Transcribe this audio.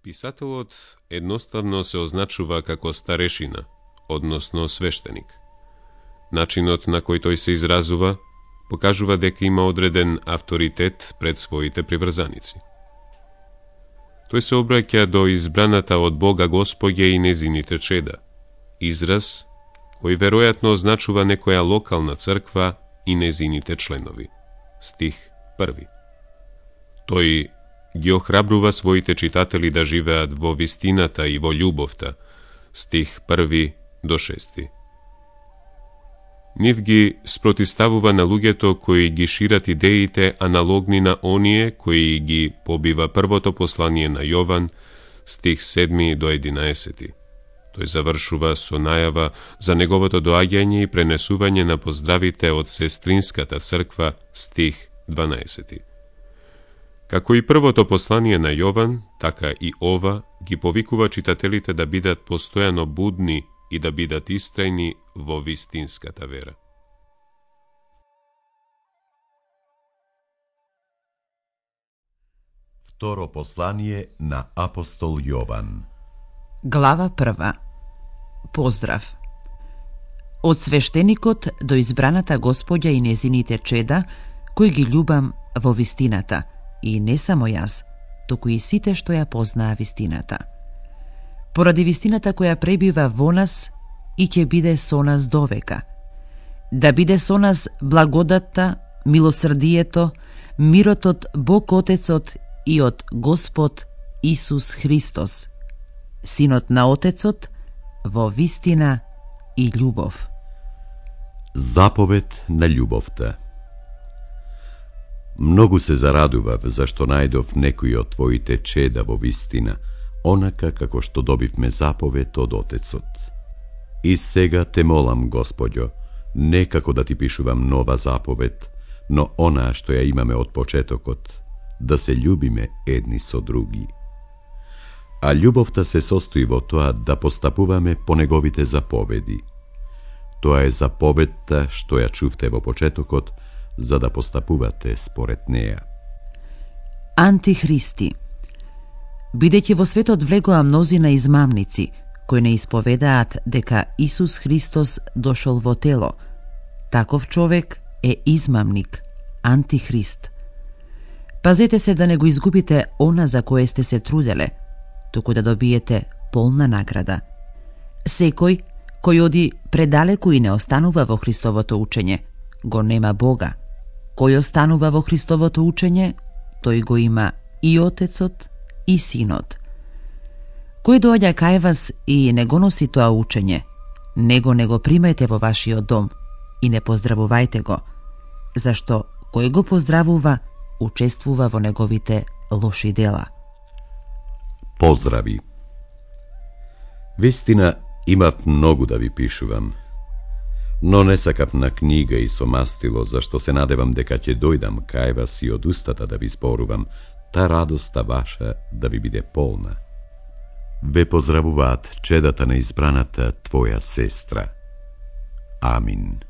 Писателот едноставно се означува како старешина, односно свештеник. Начинот на кој тој се изразува покажува дека има одреден авторитет пред своите приврзаници. Тој се обраќа до избраната од Бога Господја и незините чеда, израз кој веројатно означува некоја локална црква и незините членови. Стих 1. Тој ги охрабрува своите читатели да живеат во вистината и во љубовта. Стих 1 до 6. Нив ги спротиставува на луѓето кои ги шират идеите аналогни на оние кои ги побива првото послание на Јован, стих 7 до 11. Тој завршува со најава за неговото доаѓање и пренесување на поздравите од сестринската црква, стих 12. Како и првото послание на Јован, така и ова ги повикува читателите да бидат постојано будни и да бидат истрајни во вистинската вера. Второ послание на апостол Јован. Глава 1. Поздрав. Од свештеникот до избраната Господја и незините чеда, кои ги љубам во вистината, и не само јас, туку и сите што ја познаа вистината. Поради вистината која пребива во нас и ќе биде со нас довека. Да биде со нас благодатта, милосрдието, мирот од Бог Отецот и од Господ Исус Христос, Синот на Отецот, во вистина и љубов. Заповед на љубовта. Многу се зарадував зашто најдов некој од твоите чеда во вистина, онака како што добивме заповед од Отецот. И сега те молам, Господјо, не како да ти пишувам нова заповед, но онаа што ја имаме од почетокот, да се љубиме едни со други. А љубовта се состои во тоа да постапуваме по неговите заповеди. Тоа е заповедта што ја чувте во почетокот, за да постапувате според неа. Антихристи. Бидејќи во светот влегоа мнозина измамници, кои не исповедаат дека Исус Христос дошол во тело, таков човек е измамник, антихрист. Пазете се да не го изгубите она за кое сте се труделе, туку да добиете полна награда. Секој кој оди предалеку и не останува во Христовото учење, го нема Бога. Кој останува во Христовото учење, тој го има и Отецот и Синот. Кој доаѓа кај вас и не го носи тоа учење, него не го примајте во вашиот дом и не поздравувајте го, зашто кој го поздравува, учествува во неговите лоши дела. Поздрави. Вистина, имав многу да ви пишувам, но не сакав на книга и со мастило, зашто се надевам дека ќе дојдам кај вас и од устата да ви зборувам, та радоста ваша да ви биде полна. Ве поздравуваат чедата на избраната твоја сестра. Амин.